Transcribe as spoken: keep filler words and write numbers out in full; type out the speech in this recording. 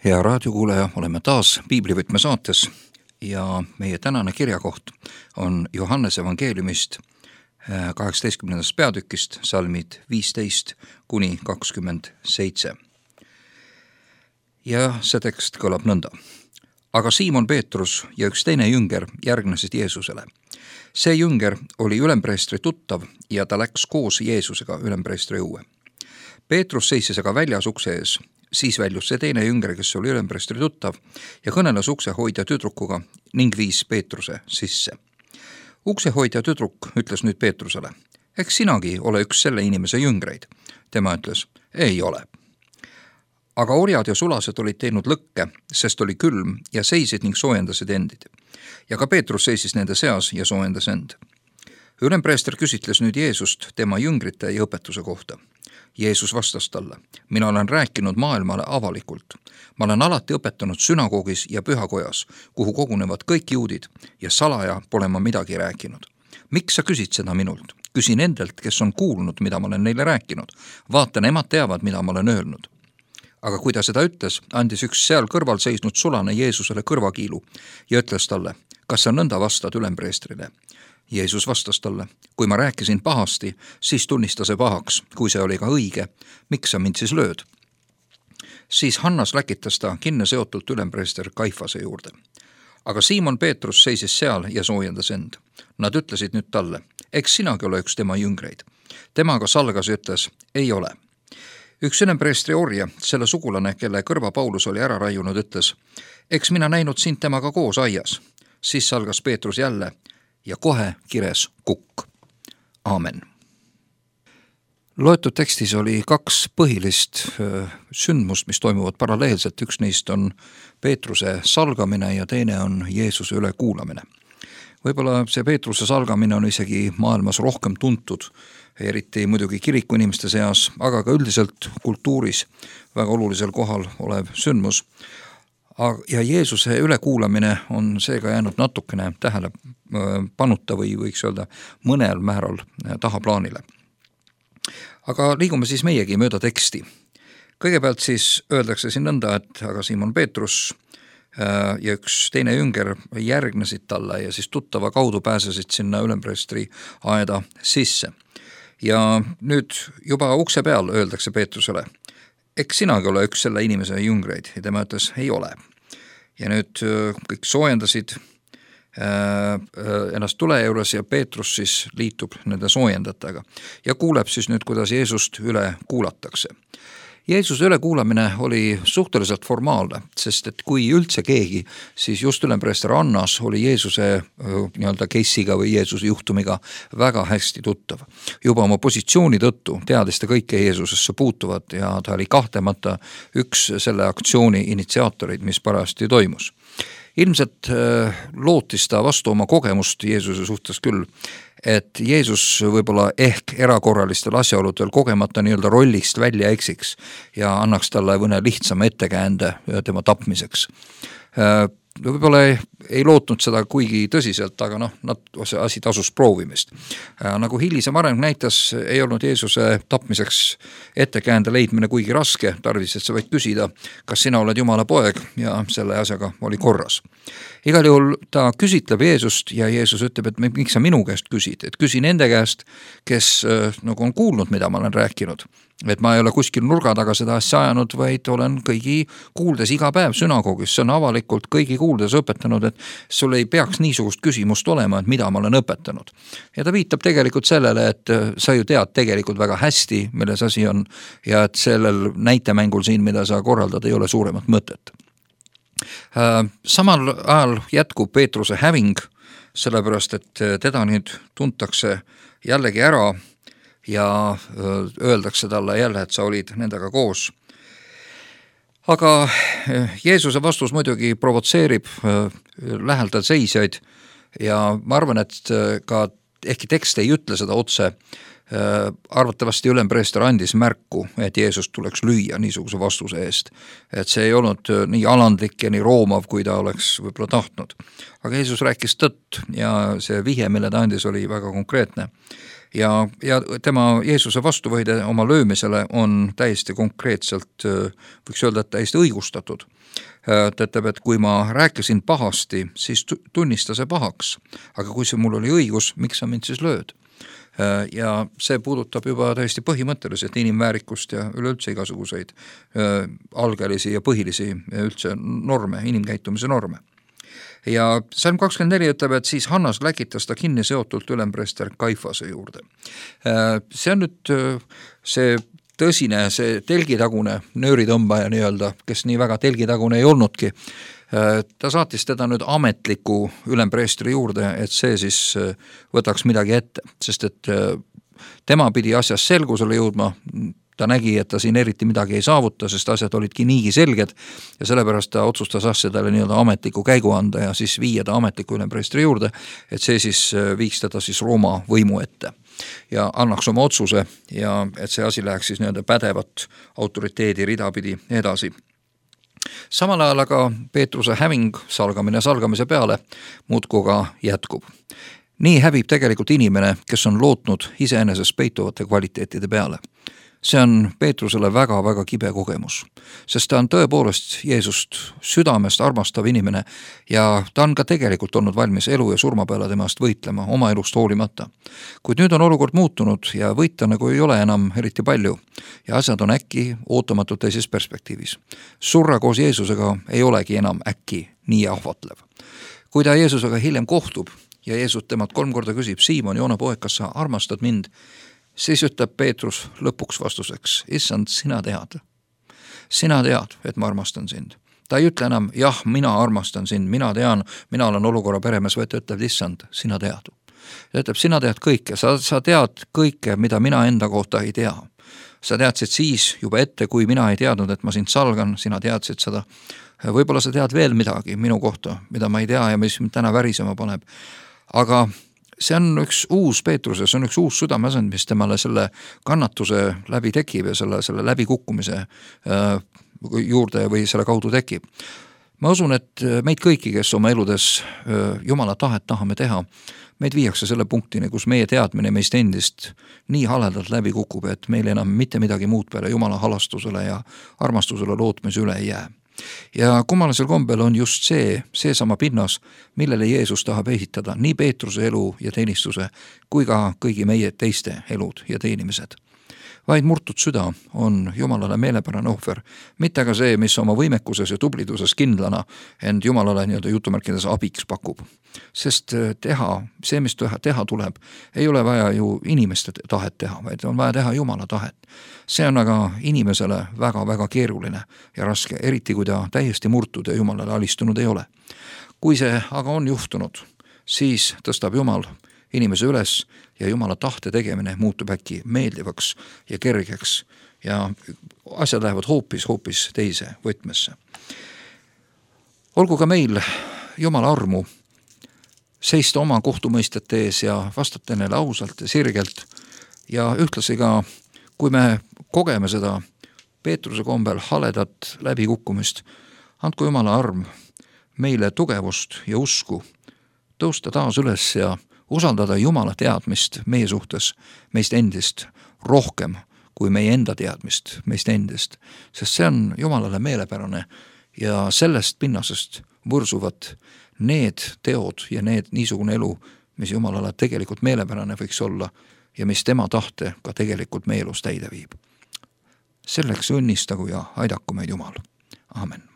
Hea raadiokuulaja, oleme taas Piiblivõtme saates ja meie tänane kirjakoht on Johannese evangeeliumist kaheksateistkümnendast peatükist, salmid viisteist kuni kakskümmend seitse. Ja see tekst kõlab nõnda. Aga Siimon Peetrus ja üks teine jünger järgnesid Jeesusele. See jünger oli ülempreestri tuttav ja ta läks koos Jeesusega ülempreestri õue. Peetrus seisis aga väljas ukse ees. Siis väljus see teine jünger, kes oli ülempreestri tuttav ja kõneles uksehoidja tüdrukuga ning viis Peetruse sisse. Uksehoidja tüdruk ütles nüüd Peetrusele, eks sinagi ole üks selle inimese jüngreid. Tema ütles, ei ole. Aga orjad ja sulased olid teinud lõkke, sest oli külm ja seisid ning soojendasid endid. Ja ka Peetrus seisis nende seas ja soojendas end. Ülempreester küsitles nüüd Jeesust tema jüngrite ja õpetuse kohta. Jeesus vastas talle, mina olen rääkinud maailmale avalikult. Ma olen alati õpetanud sünagoogis ja pühakojas, kuhu kogunevad kõik juudid ja salaja pole ma midagi rääkinud. Miks sa küsid seda minult? Küsi nendelt, kes on kuulnud, mida ma olen neile rääkinud. Vaata, nemad teavad, mida ma olen öelnud. Aga kui ta seda ütles, andis üks seal kõrval seisnud sulane Jeesusele kõrvakiilu ja ütles talle, kas sa nõnda vastad ülempreestrile? Jeesus vastas talle, kui ma rääkisin pahasti, siis tunnista see pahaks, kui see oli ka õige, miks sa mind siis lööd? Siis Hannas läkitas ta kinne seotult ülempreester Kaifase juurde. Aga Siimon Peetrus seisis seal ja soojendas end. Nad ütlesid nüüd talle, eks sinagi ole üks tema jüngreid. Temaga salgas ja ütles, ei ole. Üks ülempreestri orja, selle sugulane, kelle kõrva Paulus oli ära raiunud, ütles, eks mina näinud sind temaga koos aias. Siis salgas Peetrus jälle ja kohe kires kukk. Aamen. Loetud tekstis oli kaks põhilist sündmust, mis toimuvad paralleelselt. Üks neist on Peetruse salgamine ja teine on Jeesuse ülekuulamine. Võib-olla see Peetruse salgamine on isegi maailmas rohkem tuntud, eriti muidugi kiriku inimeste seas, aga ka üldiselt kultuuris väga olulisel kohal olev sündmus. Ja Jeesuse ülekuulamine on seega jäänud natukene tähele panuta või võiks öelda mõnel määral tahaplaanile. Aga liigume siis meiegi mööda teksti. Kõigepealt siis öeldakse siin nõnda, et aga Siimon Peetrus ja üks teine jünger järgnesid talle ja siis tuttava kaudu pääsesid sinna ülempreestri aeda sisse. Ja nüüd juba ukse peal öeldakse Peetrusele, eks sinagi ole üks selle inimese jüngreid ja tema ütles, ei ole. Ja nüüd kõik soojendasid ennast tule juures ja Peetrus siis liitub nende soojendataga ja kuuleb siis nüüd, kuidas Jeesust üle kuulatakse. Jeesuse ülekuulamine oli suhteliselt formaalne, sest et kui üldse keegi, siis just ülempreester Annas oli Jeesuse nii-öelda case'iga või Jeesuse juhtumiga väga hästi tuttav. Juba oma positsiooni tõttu teadis ta kõike Jeesusesse puutuvat ja ta oli kahtlemata üks selle aktsiooni initsiaatorid, mis parajasti toimus. Ilmselt lootis ta vastu oma kogemust Jeesuse suhtes küll, et Jeesus võib-olla ehk erakorralistel asjaoludel kogemata nii-öelda rollist välja eksiks ja annaks talle mõne lihtsama ettekäände tema tapmiseks. Võib-olla ei, ei lootnud seda kuigi tõsiselt, aga noh, see asi tasus proovimist. Nagu hilisem areng näitas, ei olnud Jeesuse tapmiseks ettekäände leidmine kuigi raske, tarvis, et sa võid küsida, kas sina oled Jumala poeg ja selle asjaga oli korras. Igal juhul ta küsitleb Jeesust ja Jeesus ütleb, et miks sa minu käest küsid, et küsi nende käest, kes nagu on kuulnud, mida ma olen rääkinud. Et ma ei ole kuskil nurga taga seda asja ajanud, vaid olen kõigi kuuldes iga päev sünagoogis. See on avalikult kõigi kuuldes õpetanud, et sul ei peaks niisugust küsimust olema, et mida ma olen õpetanud. Ja ta viitab tegelikult sellele, et sa ju tead tegelikult väga hästi, milles asi on ja et sellel näitemängul siin, mida sa korraldad, ei ole suuremat mõtet. Samal ajal jätkub Peetruse häving, sellepärast, et teda nüüd tuntakse jällegi ära ja öeldakse talle jälle, et sa olid nendega koos. Aga Jeesuse vastus muidugi provotseerib lähedal seisjaid ja ma arvan, et ka ehkki tekst ei ütle seda otse, arvatavasti ülempreester andis märku, et Jeesus tuleks lüüa niisuguse vastuse eest. Et see ei olnud nii alandlik ja nii roomav, kui ta oleks võib-olla tahtnud. Aga Jeesus rääkis tõtt ja see vihje, mille ta andis, oli väga konkreetne. ja, ja tema Jeesuse vastuvõide oma löömisele on täiesti konkreetselt, võiks öelda, et täiesti õigustatud. Ta ütleb, et kui ma rääkisin pahasti, siis tunnista see pahaks, aga kui see mul oli õigus, miks sa mind siis lööd? Ja see puudutab juba täiesti põhimõtteliselt inimväärikust ja üleüldse igasuguseid algelisi ja põhilisi üldse norme, inimkäitumise norme. Ja salm kakskümmend neli ütleb, et siis Hannas läkitas ta kinni seotult ülempreester Kaifase juurde. See on nüüd see tõsine, see telgitagune nööritõmbaja nii-öelda, kes nii väga telgitagune ei olnudki. Ta saatis teda nüüd ametliku ülempreestri juurde, et see siis võtaks midagi ette, sest et tema pidi asjas selgusele jõudma. Ta nägi, et ta siin eriti midagi ei saavuta, sest asjad olidki niigi selged ja sellepärast ta otsustas asjadele nii-öelda ametliku käigu anda ja siis viia ta ametliku ülempreestri juurde, et see siis viiks teda siis Rooma võimu ette ja annaks oma otsuse ja et see asi läheks siis nii-öelda pädevat autoriteedi ridapidi edasi. Samal ajal aga Peetruse häving salgamine salgamise peale muudkui ka jätkub. Nii hävib tegelikult inimene, kes on lootnud iseenesest peituvate kvaliteetide peale. See on Peetrusele väga-väga kibe kogemus, sest ta on tõepoolest Jeesust südamest armastav inimene ja ta on ka tegelikult olnud valmis elu ja surma peale temast võitlema, oma elust hoolimata. Kuid nüüd on olukord muutunud ja võita nagu ei ole enam eriti palju ja asjad on äkki ootamatult teises perspektiivis. Surra koos Jeesusega ei olegi enam äkki nii ahvatlev. Kui ta Jeesusega hiljem kohtub ja Jeesus temalt kolm korda küsib, Siimon, Joona poeg, kas sa armastad mind? Siis ütleb Peetrus lõpuks vastuseks, issand, sina tead. Sina tead, et ma armastan sind. Ta ei ütle enam, jah, mina armastan sind, mina tean, mina olen olukorra peremees, vaid ta ütleb, issand, sina tead. Ta ütleb, sina tead kõike, sa, sa tead kõike, mida mina enda kohta ei tea. Sa teadsid siis juba ette, kui mina ei teadnud, et ma sind salgan, sina teadsid seda. Võib-olla sa tead veel midagi minu kohta, mida ma ei tea ja mis mind täna värisema paneb. Aga see on üks uus Peetruse, see on üks uus südameasend, mis temale selle kannatuse läbi tekib ja selle, selle läbikukkumise juurde või selle kaudu tekib. Ma usun, et meid kõiki, kes oma eludes Jumala tahet tahame teha, meid viiakse selle punktini, kus meie teadmine meist endist nii haledalt läbi kukub, et meil enam mitte midagi muud peale Jumala halastusele ja armastusele lootmise üle ei jää. Ja kummalisel kombel on just see, see sama pinnas, millele Jeesus tahab ehitada nii Peetruse elu ja teenistuse kui ka kõigi meie teiste elud ja teenimised. Vaid murtud süda on Jumalale meelepärane ohver, mitte ka see, mis oma võimekuses ja tubliduses kindlana end Jumalale nii-öelda jutumärkides abiks pakub. Sest teha, see, mis teha, teha tuleb, ei ole vaja ju inimeste tahet teha, vaid on vaja teha Jumala tahet. See on aga inimesele väga-väga keeruline ja raske, eriti kui ta täiesti murtud ja Jumalale alistunud ei ole. Kui see aga on juhtunud, siis tõstab Jumal inimese üles ja Jumala tahte tegemine muutub äkki meeldivaks ja kergeks ja asjad lähevad hoopis, hoopis teise võtmesse. Olgu ka meil Jumala armu seista oma kohtumõistete ees ja vastata neile ausalt ja sirgelt ja ühtlasi ka, kui me kogeme seda Peetruse kombel haledat läbikukkumist, andku Jumala arm meile tugevust ja usku, tõusta taas üles ja usaldada Jumala teadmist meie suhtes, meist endist rohkem kui meie enda teadmist meist endist, sest see on Jumalale meelepärane ja sellest pinnasest võrsuvad need teod ja need niisugune elu, mis Jumalale tegelikult meelepärane võiks olla ja mis tema tahte ka tegelikult meie elus täide viib. Selleks õnnistagu ja aidaku meid Jumal. Amen.